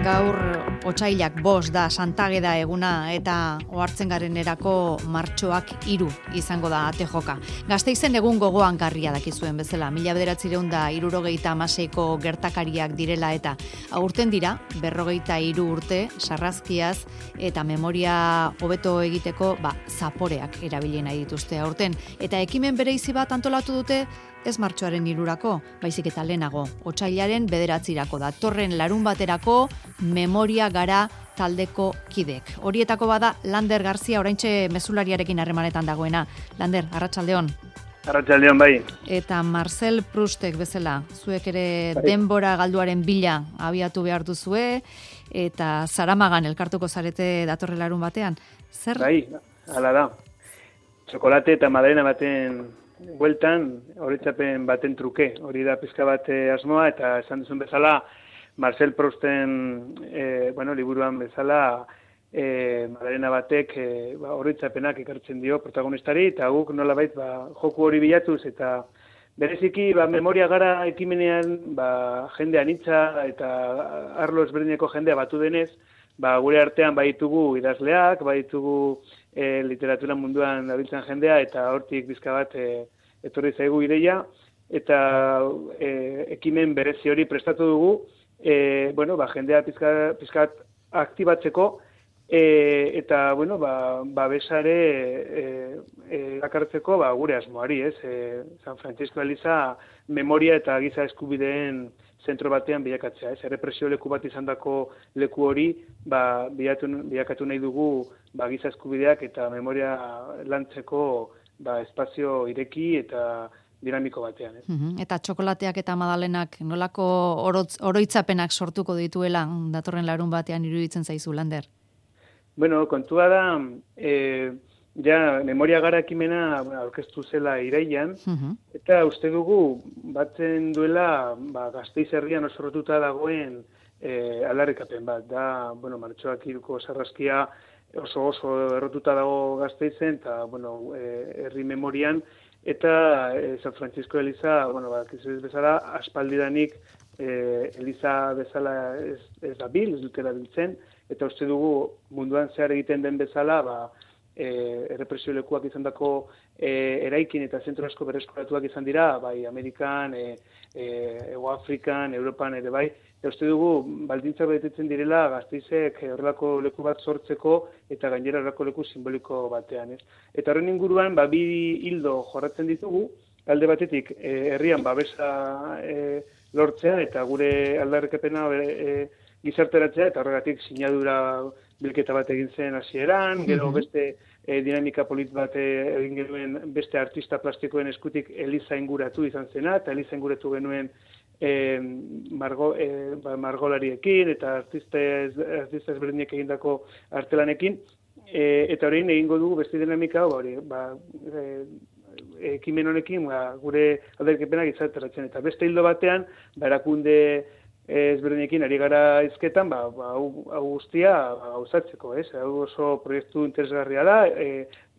gaur otsailak 5 da Santageda eguna eta ohartzen garenerako martxoak 3 izango da ate joka. Gasteizen egun gogoan garria dakizuen bezala, 1976ko gertakariak direla eta aurten dira 43 urte sarrazkiaz eta memoria hobeto egiteko zaporeak erabili nahi dituzte aurten eta ekimen bereizi bat antolatu dute ez martxoaren 3rako, baizik eta lehenago, otsailaren 9rako datorren larunbaterako memoria gara taldeko kidek. Horietako bada Lander Garzia oraintxe mezulariarekin harremanetan dagoena. Lander, arratsaldeon. Arratsaldeon bai. Eta Marcel Proustek bezala, zuek ere denbora galduaren bila abiatu behar duzue eta Zaramagan elkartuko zarete datorren larunbatean. Zer? Bai, hala da. Txokolate eta madalena baten bueltan, horitzapen baten truke, hori da pizka bat asmoa, eta esan duzun bezala, Marcel Prousten liburuan bezala, madalena batek horitzapenak ekartzen dio protagonistari, eta guk nolabait joku hori bilatuz, eta bereziki memoria gara ekimenean jende anitza eta arlo ezberdineko jendea batu denez, gure artean baitugu idazleak, baitugu literatura munduan dabiltzan jendea, eta hortik bizka bat etorri zaigu ideia, eta ekimen berezi hori prestatu dugu, jendea pizkat aktibatzeko, eta babesare erakartzeko gure asmoari, San Francisco Eliza memoria eta giza eskubideen zentro batean bilakatzea, errepresio leku bat izandako leku hori bilakatu nahi dugu giza eskubideak eta memoria lantzeko espazio ireki eta dinamiko batean. Eta txokolateak eta madalenak nolako oroitzapenak sortuko dituela datorren larun batean iruditzen zaizu, Lander? Bueno, kontua da, memoria gara ekimena aurkeztu zela irailean, eta uste dugu batzen duela Gasteiz herrian oso rotuta dagoen aldarrikapen bat. Da, martxoak 3ko sarrazkia oso errotuta dago Gasteizen, eta herri memorian, eta San Francisco Eliza, ez bezala, aspaldidanik Eliza bezala ez dabil, ez dutela biltzen, eta uste dugu munduan zehar egiten den bezala, errepresio lekuak izandako eraikin eta zentro asko berreskuratuak izan dira, bai Amerikan, Hego Afrikan, Europan ere bai, eta uste dugu baldintzak betetzen direla Gasteizek horrelako leku bat sortzeko eta gainera horrelako leku simboliko batean. Eta horren inguruan, bi hildo jorratzen ditugu, alde batetik herrian babesa lortzea eta gure aldarrikapena gizarteratzea, eta horregatik sinadura bilketa bat egin zen hasieran, gero beste dinamika polit bat egin genuen beste artista plastikoen eskutik Eliza inguratu izan zena, eta Eliza inguratu genuen margolariekin eta artista ezberdinek egindako artelanekin, eta horrein egingo dugu beste dinamika hori, ekimen honekin gure aldarrikapenak gizarteratzen, eta beste hildo batean, erakunde ezberdinekin ari gara hizketan, hau guztia gauzatzeko, hau oso proiektu interesgarria da,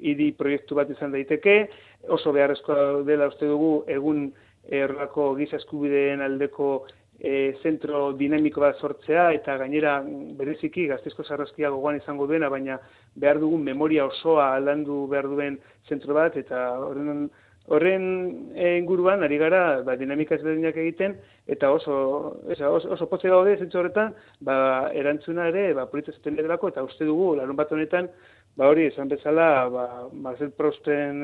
hiri proiektu bat izan daiteke, oso beharrezkoa dela uste dugu egun horrelako giza eskubideen aldeko zentro dinamiko bat sortzea, eta gainera bereziki Gasteizko sarrazkia gogoan izango duena, baina behar dugun memoria osoa landu behar duen zentro bat, eta horren inguruan ari gara dinamika ezberdinak egiten, eta oso potze gaude zentzu horretan, erantzuna ere politza zaten delako, eta uste dugu larun bat honetan, hori esan bezala, Marcel Prousten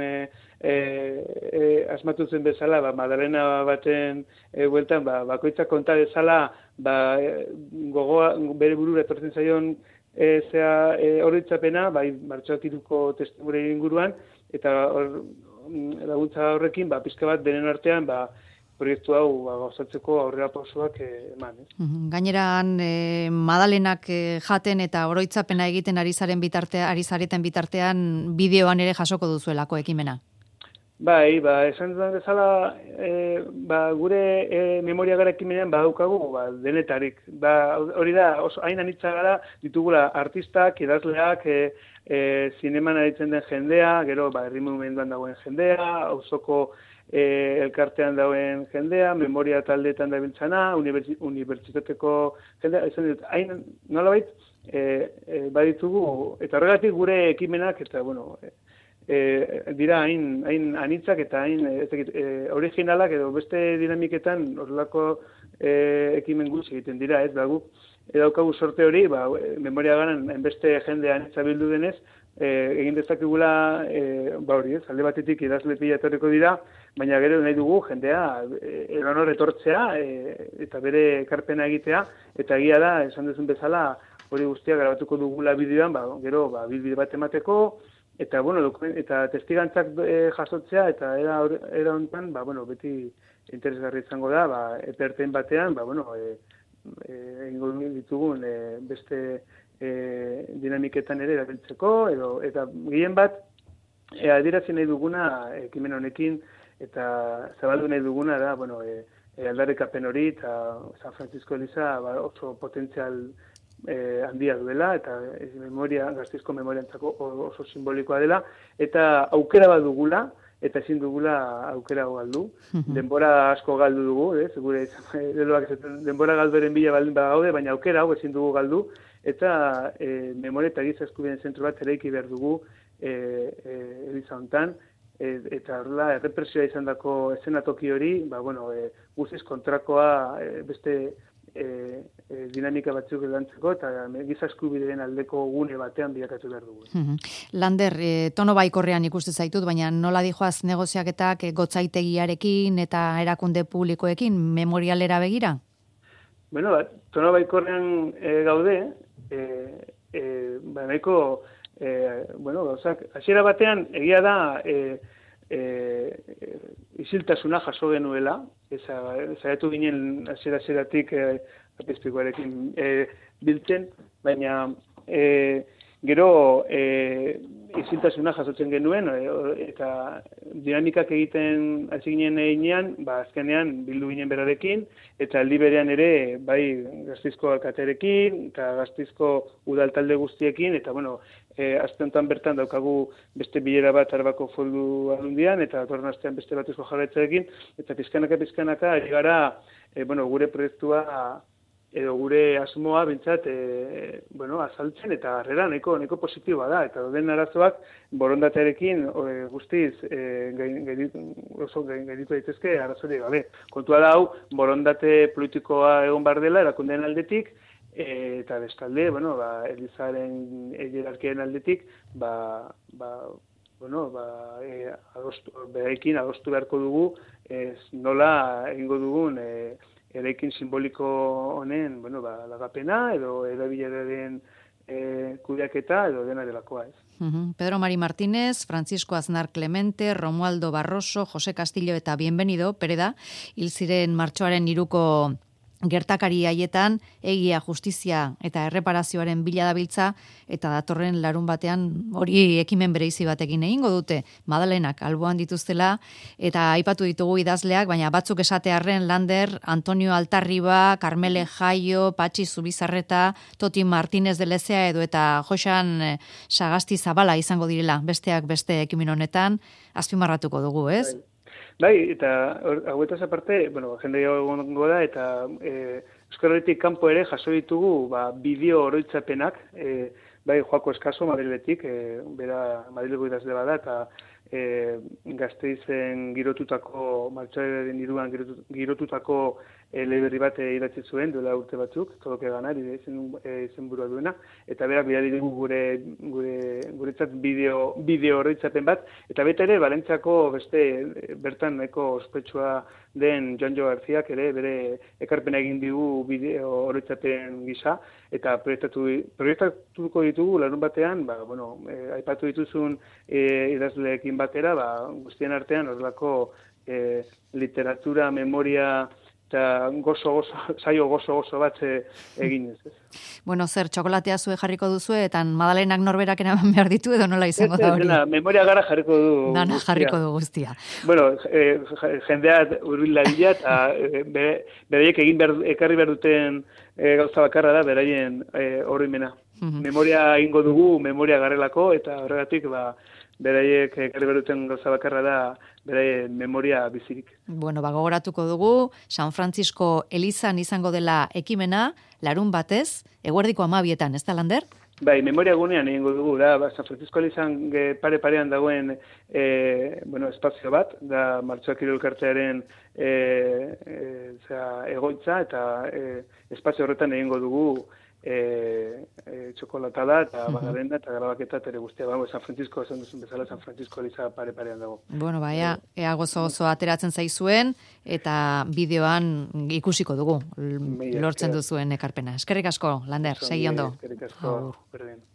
asmatu zen bezala, madalena baten bueltan, bakoitzak konta bezala, gogoa bere burura etortzen zaion horitzapena, martxoak 3ko testimure inguruan, eta laguntza horrekin, pizka bat denen artean, proiektu hau gauzatzeko aurrera pausoak eman. Gaineran madalenak jaten eta oroitzapena egiten ari zareten bitartean bideoan ere jasoko duzuelako ekimena. Bai, esan dudan bezala, gure memoria gara ekimenean badaukagu denetarik. Hori da, oso hain anitza gara ditugula artistak, idazleak, zineman aritzen den jendea, gero herri mugimenduan dagoen jendea, auzoko elkartean dauen jendea, memoria taldeetan dabiltzana, unibertsitateko jendea, esan dut, hain nolabait, baditugu, eta horregatik gure ekimenak, eta, bueno, dira hain anitzak eta hain originalak edo beste dinamiketan horrelako ekimen gutxi egiten dira, ez dago. Daukagu sorte hori, memoria garan beste jende anitza bildu denez, egin dezakegula, hori ez, alde batetik idazle pila etorriko dira, baina gero nahi dugu jendea eronor etortzea eta bere ekarpena egitea, eta egia da, esan duzun bezala, hori guztia grabatuko dugula bideoan, gero bideo bat emateko, eta, bueno, eta testigantzak jasotzea, eta era honetan, beti interesgarri izango da, eperten batean, egingo ditugun beste dinamiketan ere erabiltzeko, eta gehien bat, adierazi nahi duguna ekimen honekin, eta zabaldu nahi duguna da, aldarrikapen hori, eta San Francisco Eliza oso potentzial handia duela, eta Gasteizko memoriantzako oso simbolikoa dela, eta aukera bat dugula, eta ezin dugula aukera galdu. Denbora asko galdu dugu, gure denbora galduaren bila baldin bagaude, baina aukera hau ezin dugu galdu, eta memoria eta giza eskubideen zentro bat eraiki behar dugu Eliza hontan, eta horrela errepresioa izandako eszenatoki hori, guztiz kontrakoa beste dinamika batzuk lantzeko eta giza eskubideen aldeko gune batean bilakatu behar dugu. Lander, tono baikorrean ikuste zaitut, baina nola dijoaz negoziaketak gotzaitegiarekin eta erakunde publikoekin memorialera begira? Bueno, tono baikorrean gaude, nahiko, hasiera batean egia da isiltasuna jaso genuela, zaitu ginen hasieratik apizpikoarekin biltzen, baina gero isiltasuna jasotzen genuen, eta dinamikak egiten hasi ginen einean, azkenean bildu ginen berarekin, eta aldi berean ere, bai Gasteizko alkatearekin, eta Gasteizko udaltalde guztiekin, eta aste honetan bertan daukagu beste bilera bat Arbako Foru Aldundian, eta datorren astean beste bat Eusko Jaurlaritzarekin, eta pizkanaka ari gara, gure proiektua edo gure asmoa bintzat azaltzen, eta harrera nahiko positiboa da, eta den arazoak borondatearekin guztiz oso gainditu daitezke arazorik gabe. Kontua da hau, borondate politikoa egon behar dela, erakundeen aldetik, eta bestalde, Elizaren hierarkiaren aldetik, berekin adostu beharko dugu, nola egingo dugun eraikin simboliko honen, lagapena, edo erabileraren kudeaketa, edo dena delakoa, ez. Pedro Mari Martínez, Francisco Aznar Clemente, Romualdo Barroso, Jose Castillo eta Bienvenido, Pereda, hil ziren martxoaren 3ko gertakari haietan egia, justizia eta erreparazioaren bila dabiltza, eta datorren larun batean hori ekimen bereizi batekin egingo dute, Madalenak alboan dituztela, eta aipatu ditugu idazleak, baina batzuk esatearren Lander, Antonio Altarriba, Carmele Jaio, Patxi Zubizarreta, Toti Martínez de Lezea edo eta Joxan Sagasti Zabala izango direla, besteak beste ekimen honetan, azpimarratuko dugu, ez? Bai, eta hauetaz aparte, jende egongo da, eta Euskal Herritik kanpo ere jaso ditugu bideo oroitzapenak, bai Joako Eskaso Madriletik, bera Madrileko idazle bada, eta Gasteizen girotutako, martxoaren 3an girotutako eleberri bat idatzi zuen, duela urte batzuk, Todo que ganar, izenburua duena, eta berak bidali dugu guretzat bideo oroitzapen bat, eta beta ere, Valentziako bertan nahiko ospetsua den Joanjo Garziak ere bere ekarpena egin digu bideo oroitzapen gisa, eta proiektatuko ditugu larun batean, aipatu dituzun idazleekin batera, guztien artean horrelako literatura, memoria, eta saio gozo bat eginez. Bueno, zer, txokolatea zue jarriko duzu, eta Madalenak norberak eraman behar ditu, edo nola izango da hori? Memoria gara jarriko du guztia. Dana jarriko du guztia. Bueno, jendea urbil dadila, eta beraiek ekarri behar duten gauza bakarra da, beraien oroimena. Memoria egingo dugu, memoria garelako, eta horregatik, beraiek ekarri beruten gauza bakarra da, beraien memoria bizirik. Bueno, gogoratuko dugu, San Francisco elizan izango dela ekimena, larun batez, eguerdiko 12etan, ez da, Lander? Bai, memoria gunean egingo dugu, da, San Francisco elizan pare-parean dagoen espazio bat, da Martxoak Hiru elkartearen egoitza, eta espazio horretan egingo dugu txokolatada eta bagarenda eta grabaketa ere guztia. San Francisco, esan duzun bezala, San Francisco eliza pare-parean dago. Bueno, ea gozo ateratzen zaizuen eta bideoan ikusiko dugu lortzen duzuen ekarpena. Eskerrik asko, Lander, segi ondo. Eskerrik asko, berdin.